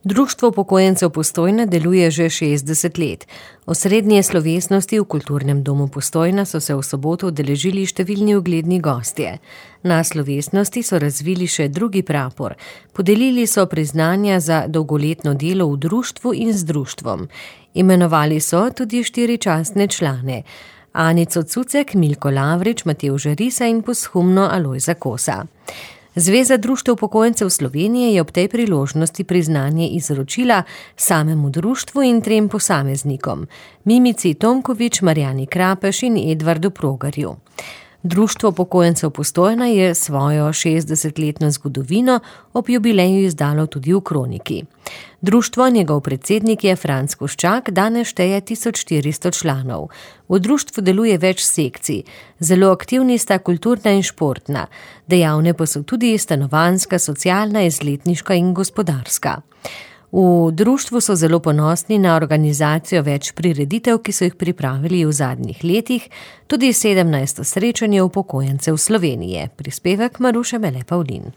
Društvo upokojencev Postojna deluje že 60 let. Osrednje slovesnosti v Kulturnem domu Postojna so se v soboto udeležili številni ugledni gostje. Na slovesnosti so razvili še drugi prapor. Podelili so priznanja za dolgoletno delo v društvu in z društvom. Imenovali so tudi 4 častne člane. Anico Cucek, Milko Lavrič, Matevža Risa in posthumno Alojza Kosa. Zveza društev upokojencev Slovenije je ob tej priložnosti priznanje izročila samemu društvu in 3 posameznikom, Mimici Tomkovič, Marjani Krapeš in Edvardu Progarju. Društvo upokojencev Postojna je svojo 60-letno zgodovino ob jubileju izdalo tudi v kroniki. Društvo, njegov predsednik je Franc Koščak, danes šteje 1400 članov. V društvu deluje več sekcij. Zelo aktivni sta kulturna in športna. Dejavne pa so tudi stanovanjska, socialna, izletniška in gospodarska. V društvu so zelo ponosni na organizacijo več prireditev, ki so jih pripravili v zadnjih letih, tudi 17. srečanje upokojencev Slovenije. Prispevek Maruše Mele Pavlin.